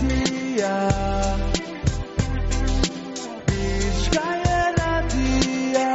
irratia, Bizkaia irratia.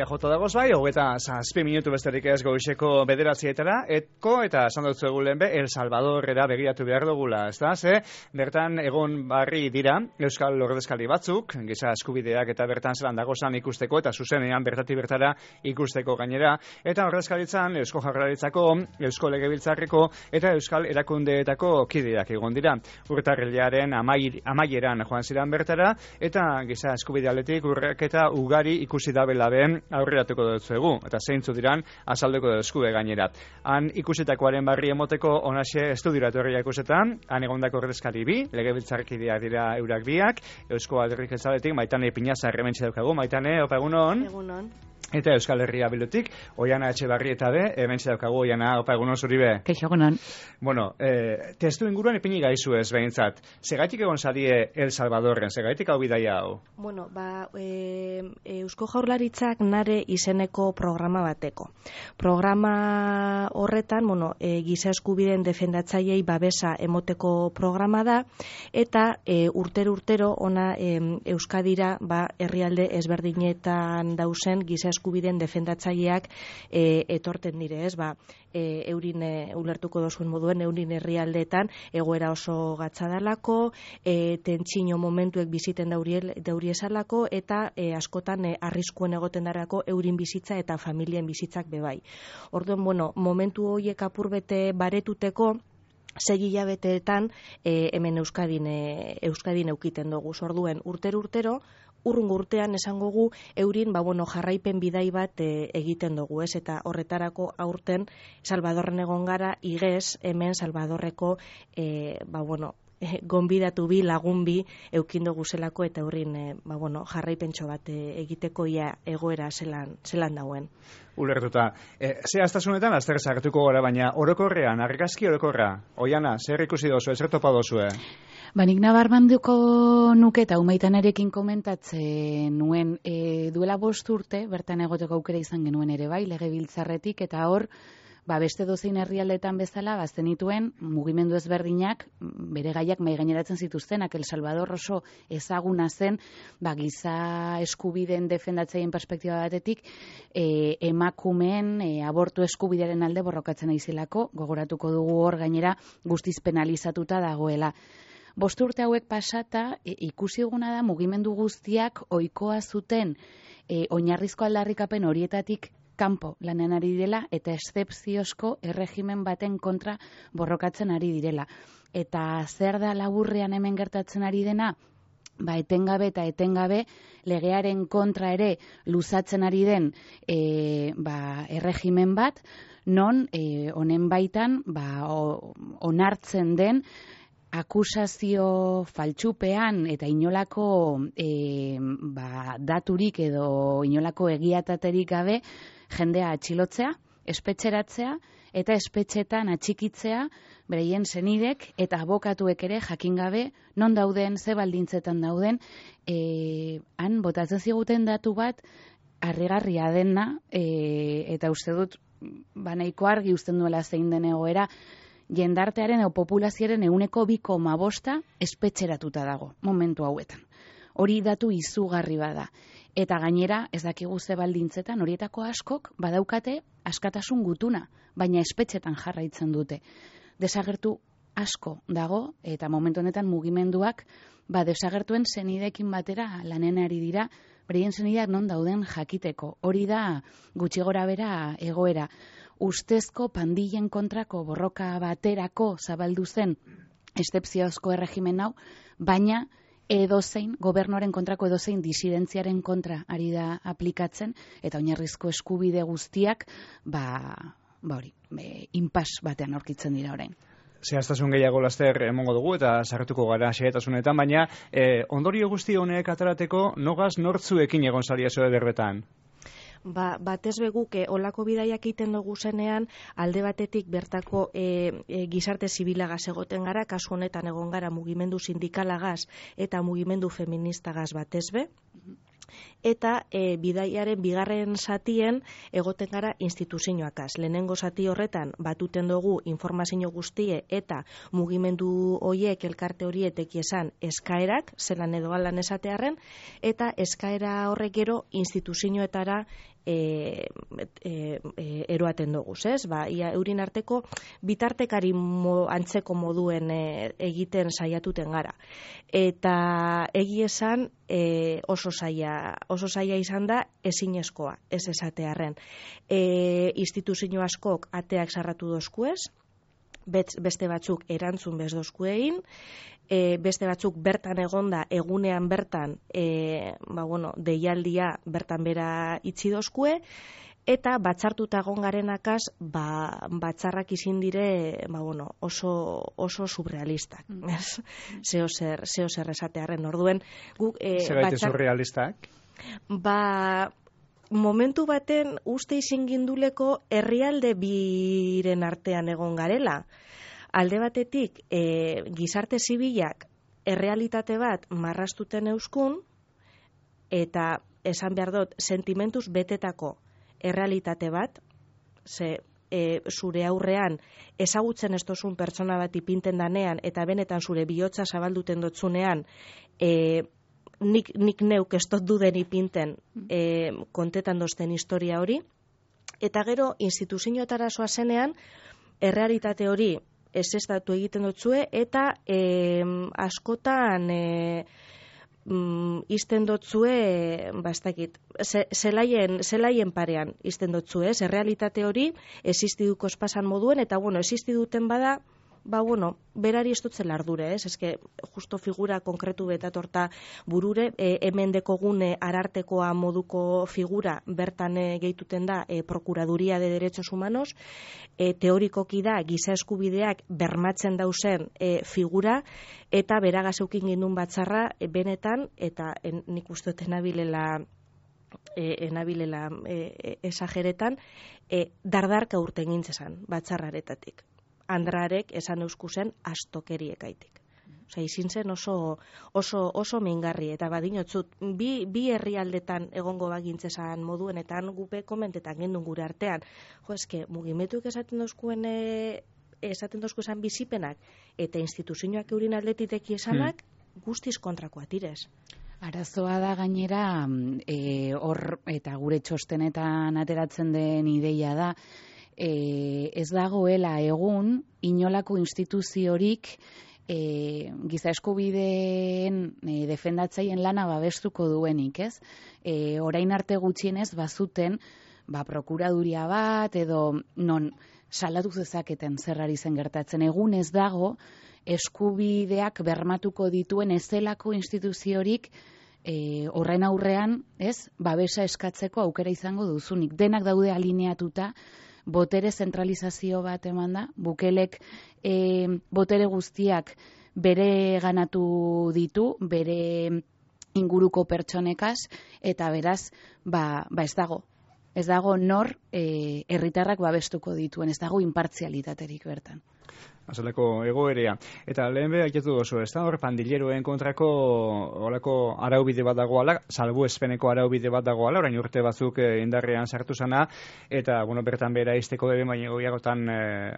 Jota dagoz bai, hogeta 7 minutu besterik ez goizeko 9:00 etko eta esan dut zegoen be El Salvadorrera begiratu behar dugula, ezta? Ze bertan egon barri dira euskal ordezkari batzuk, giza eskubideak eta bertan zelan dagozan ikusteko eta zuzenean bertatik bertara ikusteko gainera, eta ordezkaritzan Eusko Jaurlaritzako, Eusko Legebiltzarreko eta Euskal Erakundeetako kideak egon dira. Urtarrilaren amaieran joan ziren bertara eta giza eskubide aldetik urraketa ugari ikusi da belaben aurreratuko dutzuegu, eta zeintzu diran azaldeko duzkue gainera. Han ikusitakoaren barri emoteko onaxe estudioa etorria ikusetan, han egondako ordezkari bi, legebiltzarkideak dira eurak biak, Eusko Alderdi Jeltzaletik Maitane Pinazar hementxe daukagu. Maitane, opa egunon. Egunon. Eta Euskal Herria Bildutik, Oiana Etxebarrieta be, hementxe daukagu. Oiana, opa egunon zuri be. Kaixo egunon. Bueno, testu inguruan ipini gaizu ez behintzat. Segaitik egon zadie El Salvadorren, segaitik hau bidaia hau? Bueno, Eusko Jaurlaritzak nare izeneko programa bateko. Programa horretan, giza eskubideen defendatzaileei babesa emoteko programa da, eta urtero ona Euskadira herrialde ezberdinetan dauzen giza eskubideen defendatzaileak etorten dire, ez? Eurin ulertuko dozuen moduen, eurin herrialdeetan egoera oso gatzadalako, tentsino momentuek biziten dauriesalako, eta askotan arriskuen egoten darako eurin bizitza eta familien bizitzak bebai. Orduan, momentu horiek apurbete baretuteko, 6 hilabeteetan hemen Euskadin eukiten dugu. Orduen, urtero, urrungo urtean esango gu eurin jarraipen bidai bat egiten dugu, ez? Eta horretarako aurten Salvadorren egon gara, igez hemen Salvadorreko gonbidatu bi, lagun bi eukin dugu zelako, eta eurin jarraipentxo bat egiteko ia egoera zelan dauen. Ulertuta. Ze astasunetan azter sartuko gara, baina orokorrean, argazki orokorra. Oiana, zer ikusi dozu, zer topa dozue? Nik nabarmenduko nuke eta Umaitanarekin komentatzen nuen duela 5 urte, bertan egoteko aukera izan genuen ere bai, legebiltzarretik, eta hor, beste dozein herrialdetan bezala, zenituen mugimendu ezberdinak, bere gaiak mahai gaineratzen zituztenak. El Salvador oso ezaguna zen, giza eskubideen defendatzaien perspektiba batetik, emakumeen abortu eskubidearen alde borrokatzen aizelako, gogoratuko dugu hor gainera guztiz penalizatuta dagoela. 5 urte hauek pasata, ikusi eguna da mugimendu guztiak ohikoa zuten oinarrizko aldarrikapen horietatik kanpo lanean ari direla, eta eszepziozko erregimen baten kontra borrokatzen ari direla. Eta zer da laburrean hemen gertatzen ari dena? Etengabe legearen kontra ere luzatzen ari den erregimen bat, non honen baitan onartzen den akusazio faltsupean eta inolako daturik edo inolako egiataterik gabe jendea atxilotzea, espetxeratzea eta espetxetan atxikitzea bereien senidek eta abokatuek ere jakin gabe non dauden, ze baldintzetan dauden, han botatzen ziguten datu bat harrigarria dena, eta uste dut nahiko argi uzten duela zein den egoera. Jendartearen edo populazioaren 2,5% espetxeratuta dago momentu hauetan. Hori datu izugarri bada. Eta gainera, ez dakigu ze baldintzetan, horietako askok badaukate askatasun gutuna, baina espetxetan jarraitzen dute. Desagertu asko dago, eta momentu honetan mugimenduak desagertuen senideekin batera lanen ari dira, bereien senideak non dauden jakiteko. Hori da gutxi gorabehera egoera. Ustezko pandillen kontrako borroka baterako zabaldu zen eszepziozko erregimen hau, baina edozein, gobernuaren kontrako edozein disidentziaren kontra ari da aplikatzen, eta oinarrizko eskubide guztiak, hori, inpas batean aurkitzen dira orain. Zehaztasun gehiago laster emongo dugu eta sartuko gara xehetasunetan, baina ondorio guzti honek atarateko nogaz nortzuekin egon zaria zoe berbetan? Batez beguk olako bidaiak egiten dugu zenean, alde batetik bertako gizarte zibilagaz egoten gara, kasu honetan egon gara mugimendu sindikalagaz eta mugimendu feministagaz batez be, eta bidaiaren bigarren zatien egoten gara instituzioakaz. Lehenengo zati horretan batuten dugu informazio guztie eta mugimendu hoiek elkarte horietek esan eskaerak, zelan edo alan esatearren, eta eskaera horrek gero instituzioetara eroaten dugu, ez? Ia eurin arteko bitartekari antzeko moduen egiten saiatuten gara. Eta egi esan oso zaila izan da ezinezkoa, ez esatearren. Instituzio askok ateak sarratu dozkuez, beste batzuk erantzun bez dozkuein, beste batzuk bertan egonda egunean bertan deialdia bertan bera itxi dozkue, eta batzartuta egon garenakaz batzarrak izin dire oso surrealistak. Zeo zer esatearren orduen. Zer gaite surrealistak? Momentu baten uste izin ginduleko herrialde biren artean egon garela. Alde batetik, gizarte zibilak errealitate bat marrastuten euskun, eta esan behar dut, sentimentuz betetako errealitate bat, zure aurrean ezagutzen ez dozun pertsona bat ipinten danean, eta benetan zure bihotza zabalduten dotzunean, nik neuk ez dut duden ipinten kontetan dozten historia hori, eta gero instituzioetara zoazenean, errealitate hori ezestatu egiten dotzue, eta askotan izten dotzue, zelaien parean izten dotzue, errealitate hori existiduko espasan moduen, eta existiduten bada, berari ez dutzen lardure, ez? Eske, justo figura konkretu betatorta burure, hemen dekogune arartekoa moduko figura bertan gehituten da Procuraduría de Derechos Humanos, teorikoki da giza eskubideak bermatzen dauzen figura, eta beragaz eukin gindun batzarra benetan, eta nik uste dut enabilela esageretan, dardarka urten gintzezan batzarraretatik. Andrarek esan euskusen astokeriekaitik. Osea, izin zen oso mingarri, eta badinotzut, bi herrialdetan egongo bagintzezan moduenetan gupe komentetan gendun gure artean. Eske, mugimetuek esaten dozkuesan bizipenak, eta instituzioak eurin aldetitek esanak, guztiz kontrakoa tirez. Arazoa da gainera, hor eta gure txostenetan ateratzen den ideia da, ez dagoela egun inolako instituziorik giza eskubideen defendatzaien lana babestuko duenik, ez? Orain arte gutxienez bazuten prokuraduria bat edo non salatu zezaketen zerrari zen gertatzen. Egun ez dago eskubideak bermatuko dituen ezelako instituziorik horren aurrean, ez? Babesa eskatzeko aukera izango duzunik. Denak daude alineatuta, botere zentralizazio bat eman da, Bukelek botere guztiak bere ganatu ditu, bere inguruko pertsonekaz, eta beraz, ez dago. Ez dago nor herritarrak babestuko dituen, ez dago inpartzialitaterik bertan. Azaleko egoerea. Eta lehen behar jaketu dozu, ez da hor pandilleroen kontrako olako araubide bat dagoala, salbuespeneko araubide bat dagoala, orain urte batzuk indarrean sartu zana, eta bertan behera izteko bebe baina goiagotan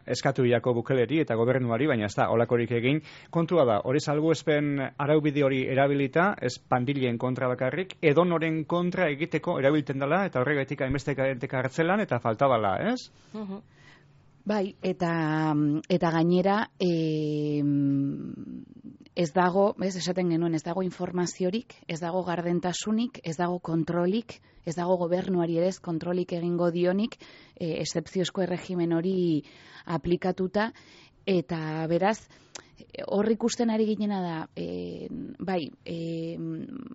eskatu jako Bukeleri eta gobernuari, baina ez da olakorik egin. Kontua da, hori salbuespen araubide hori erabilita, ez pandilleen kontra bakarrik, edonoren kontra egiteko erabiltzen dela, eta horregatik hainbestek hartzelan, eta faltabala, ez? Bai, eta gainera ez dago, esaten genuen, ez dago informaziorik, ez dago gardentasunik, ez dago kontrolik, ez dago gobernuari ere ez kontrolik egingo dionik, excepziozko erregimen hori aplikatuta, Eta beraz, hor ikusten ari ginena da,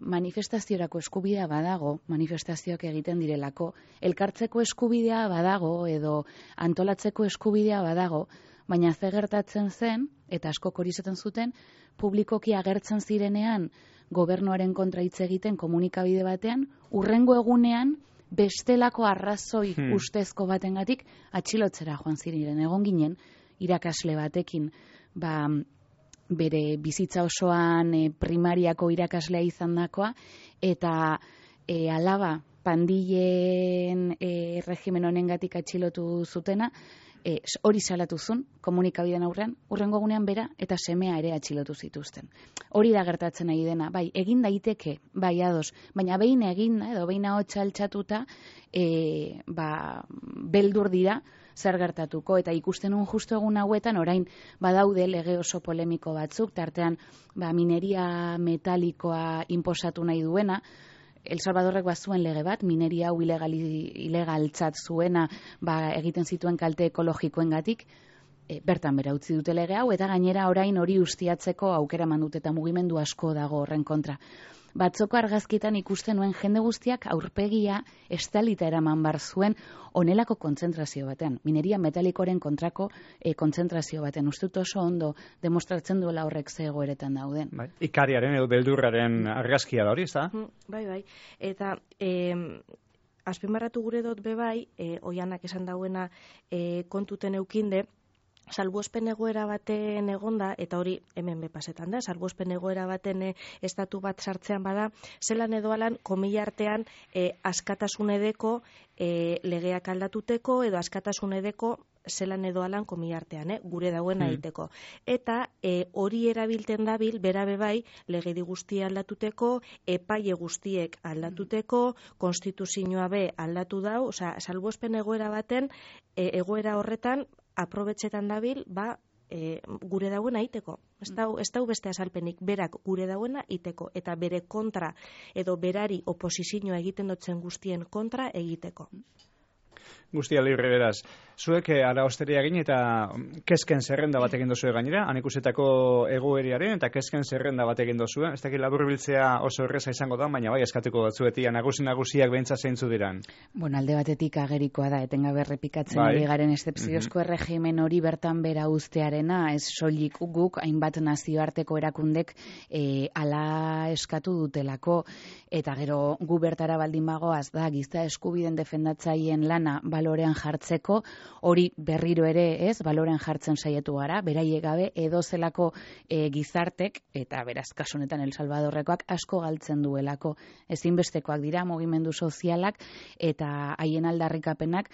manifestaziorako eskubidea badago, manifestazioak egiten direlako, elkartzeko eskubidea badago, edo antolatzeko eskubidea badago, baina ze gertatzen zen, eta asko hori esaten zuten, publikoki agertzen zirenean, gobernuaren kontra hitz egiten komunikabide batean, hurrengo egunean, bestelako arrazoi ustezko batengatik atxilotzera joan ziren. Egon ginen, irakasle batekin, bere bizitza osoan primariako irakaslea izandakoa, eta alaba pandillen regimen honengatik atxilotu zutena, hori salatu zuen, komunikabideen aurrean, hurrengo egunean bera eta semea ere atxilotu zituzten. Hori da gertatzen nahi dena, bai, egin daiteke, bai ados, baina behin egin, edo behin ahotsa altxatuta, beldur dira, zer gertatuko, eta ikusten un justu egun hauetan, orain badaude lege oso polemiko batzuk, tartean mineria metalikoa inposatu nahi duena, El Salvadorrek bazuen lege bat, mineria hau ilegaltzat zuena egiten zituen kalte ekologikoengatik, bertan bera utzi dute lege hau, eta gainera orain hori ustiatzeko aukera mandute eta mugimendu asko dago horren kontra. Batzoko argazkitan ikusten nuen jende guztiak aurpegia estalita eraman bar zuen onelako kontzentrazio batean, mineria metalikoren kontrako kontzentrazio batean. Ustut oso ondo demostratzen duela horrek ze egoeretan dauden. Bai, ikariaren edo beldurraren argazkia da hori, ez da? Bai. Eta azpimarratu gure dut bebai, oianak esan dauena kontuten eukinde, salbuespen egoera baten egonda, eta hori hemen bepasetan da, salbuespen egoera baten estatu bat sartzean bada, zelan edo alan, komila artean askatasun edeko legeak aldatuteko, edo askatasun edeko zelan edo alan komila artean, gure dauen egiteko. Eta hori erabilten dabil, bera bebai, legedi guztia aldatuteko, epaile guztiek aldatuteko, konstituzioa be aldatu dau, osea, salbuespen egoera baten, egoera horretan, aprobetxetan dabil, gure dauen aiteko. Ez dau beste azalpenik, berak gure dauena iteko, eta bere kontra, edo berari oposizioa egiten dutzen guztien kontra egiteko. Guztia libre beraz. Zuek araosteria egin eta kezken zerrenda bat egin dozue gainera, anikusetako egoeriaren eta kezken zerrenda bat egin dozue. Ez dakit laburbiltzea oso erreza izango da, baina bai eskatuko batzuetia nagusiak behintza zeintzu diran. Bueno, alde batetik agerikoa da, etengabe errepikatzen ari garen excepziozko erregimen hori bertan bera uztearena, ez soilik guk, hainbat nazioarteko erakundek ala eskatu dutelako, eta gero gu bertara baldin bagoaz da, giza eskubiden defendatzaien lana balorean jartzeko, hori berriro ere ez, balorean jartzen saiatu gara, beraiek gabe edo zelako gizartek, eta beraz kasunetan El Salvadorrekoak asko galtzen duelako. Ezinbestekoak dira mugimendu sozialak eta haien aldarrikapenak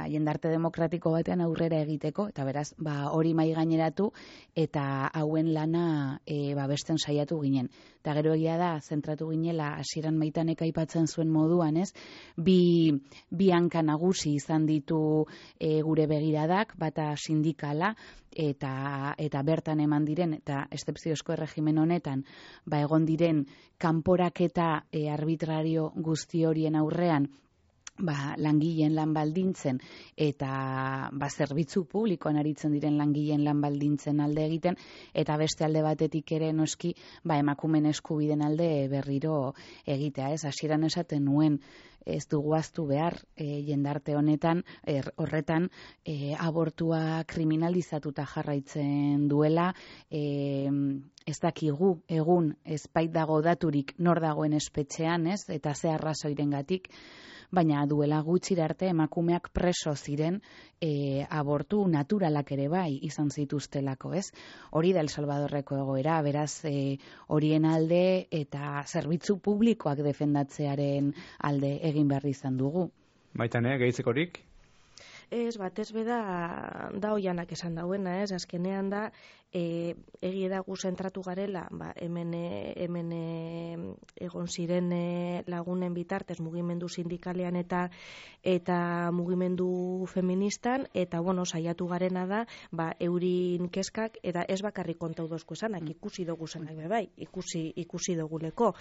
jendarte demokratiko batean aurrera egiteko, eta beraz, hori mai gaineratu eta hauen lana babesten saiatu ginen. Eta gero egia da, zentratu ginela, hasieran Maitanek aipatzen zuen moduan, ez? Bi hanka nagusi izan ditu gure begiradak, bata sindikala, eta bertan eman diren, eta excepziozko erregimen honetan, egon diren kanporaketa arbitrario guzti horien aurrean, langileen lan baldintzen eta zerbitzu publikoan aritzen diren langileen lan baldintzen alde egiten, eta beste alde batetik ere noski emakumeen eskubiden alde berriro egitea, ez? Hasieran esaten nuen, ez dugu ahaztu behar jendarte honetan, horretan abortua kriminalizatuta jarraitzen duela, ez dakigu egun ezbait dago daturik nor dagoen espetxean, ez? Eta ze arrazoirengatik, baina duela gutxira arte emakumeak preso ziren abortu naturalak ere bai izan zituztelako, ez? Hori da El Salvadorreko egoera, beraz horien alde eta zerbitzu publikoak defendatzearen alde egin behar izan dugu. Maitane, gehitzekorik? Ez, batez beda da oianak esan dauena, ez? Azkenean da, egie da gu zentratu garela, hemen egon ziren lagunen bitartez mugimendu sindikalean eta mugimendu feministan, eta saiatu garena da, eurin kezkak, eta ez bakarrik kontau dozko esanak, ikusi dugu zenak bebai, ikusi duguleko.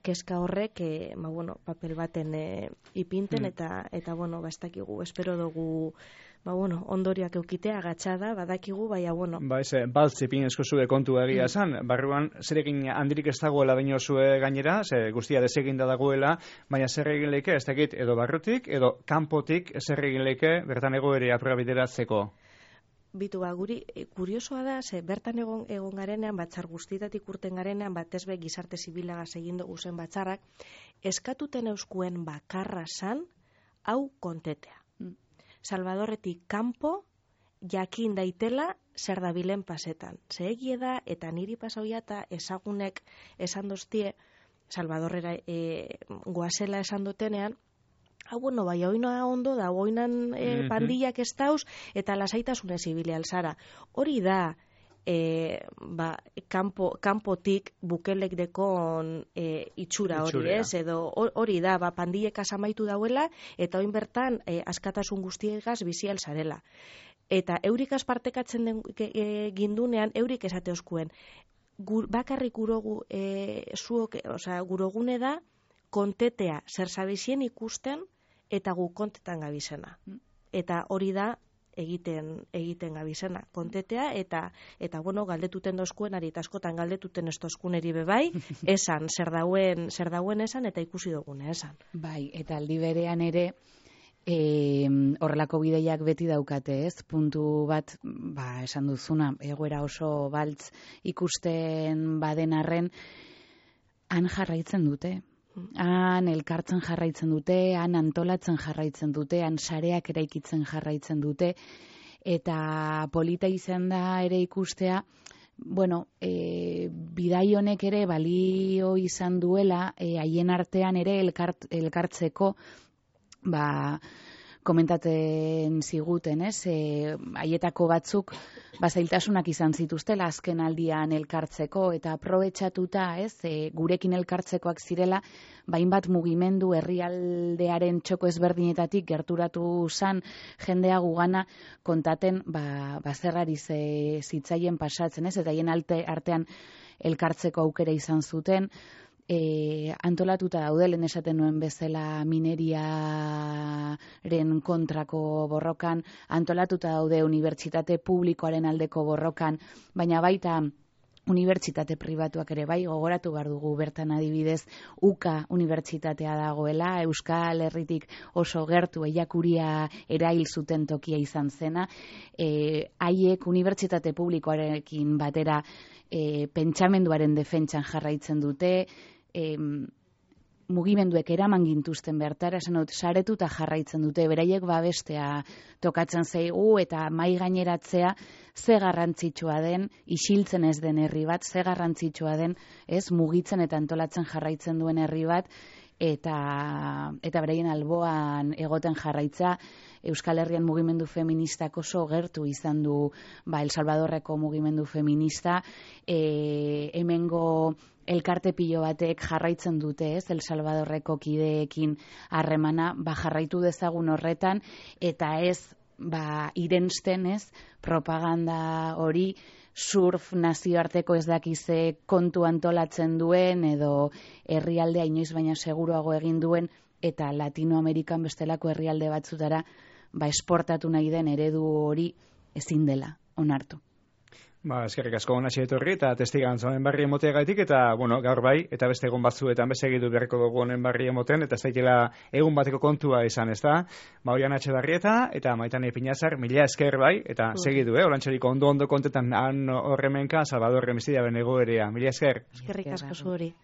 Kezka horrek, papel baten ipinten, eta ez dakigu, espero dugu ondorioak eukitea agatxada, badakigu, baina, Ba, baltzipin eskozue kontu egia esan, barruan zer egin handirik ez dagoela dinosue gainera, guztia deseginda dagoela, baina zer egin leike, ez dakit, edo barrutik, edo kanpotik zer egin leike, bertan egoerea aprobideratzeko. Bitu, guri, kuriosoa da, bertan egon garenean, batzar guztietatik urten garenean, batezbe gizarte zibilagaz egin dugu zen batzarrak, eskatuten euskuen bakarra san, hau kontetea. Salvadorretik kanpo, jakin daitela zer dabilen pasetan. Ze egie da, eta niri pasauia eta ezagunek esan doztie, Salvadorrera goazela esan dutenean, bai, oina ondo da, oinan pandillak ez dauz, eta lasaitasunez ibili alzara. Hori da, kanpotik bukelek dekon itxura hori, ez? Edo hori da, pandillek asamaitu dauela, eta oin bertan askatasun guztiegaz bizi alzarela. Eta eurik aspartekatzen gindunean, eurik esate oskuen, bakarrik gurogune da, kontetea zer zabizien ikusten, eta gu kontetan gabizena. Eta hori da egiten gabizena. Kontetea eta galdetuten dozkuen, ari eta askotan galdetuten ez dozkuneri bebai, esan, zer dauen esan, eta ikusi dugune esan. Bai, eta aldi berean ere, horrelako bideiak beti daukate, ez? Puntu bat, esan duzuna, egoera oso baltz ikusten baden arren, han jarraitzen dute. Han elkartzen jarraitzen dute, han antolatzen jarraitzen dute, han sareak eraikitzen jarraitzen dute, eta polita izan da ere ikustea, bidai honek ere balio izan duela, haien artean ere elkartzeko, komentaten ziguten, ez? Haietako batzuk zailtasunak izan zituztela azken aldian elkartzeko, eta aprobetxatuta, ez? Gurekin elkartzekoak zirela, bainbat mugimendu herrialdearen txoko ezberdinetatik gerturatu zan jendea gugana kontaten zerrari zitzaien pasatzen, ez? Eta haien artean elkartzeko aukera izan zuten, antolatuta daudelen esaten nuen bezala mineriaren kontrako borrokan, antolatuta daude unibertsitate publikoaren aldeko borrokan, baina baita unibertsitate pribatuak ere bai, gogoratu behar dugu bertan adibidez, UKA unibertsitatea dagoela, Euskal Herritik oso gertu eiakuria erail zuten tokia izan zena, haiek unibertsitate publikoarekin batera pentsamenduaren defentsan jarraitzen dute, mugimenduek eraman gintuzten bertara, esan dut, saretuta jarraitzen dute, beraiek babestea tokatzen zaigu, eta mai gaineratzea ze garrantzitsua den, isiltzen ez den herri bat, ze garrantzitsua den, ez, mugitzen eta antolatzen jarraitzen duen herri bat, eta beraien alboan egoten jarraitza. Euskal Herrian mugimendu feministak oso gertu izan du El Salvadorreko mugimendu feminista, hemengo elkarte pilo batek jarraitzen dute, ez, El Salvadorreko kideekin harremana, jarraitu dezagun horretan, eta ez, irensten, ez, propaganda hori, surf nazioarteko ez dakize kontu antolatzen duen, edo herrialdea inoiz baina seguruago egin duen, eta Latinoamerikan bestelako herrialde batzutara, esportatu nahi den eredu hori ezin dela onartu. Eskerrik asko Onatxi etorri eta testigan honen barri emoteagaitik, eta gaur bai, eta beste egun batzuetan besegitu beharko dugu honen barri emoten, eta ez daikela egun bateko kontua izan, ez da? Oian Etxebarrieta eta Maitane Pinazar, mila esker bai, eta segidu, olantxeriko ondo kontetan han horremenka, Salvador Remisidiaren egoerea. Mila esker. Eskerrik asko zuri.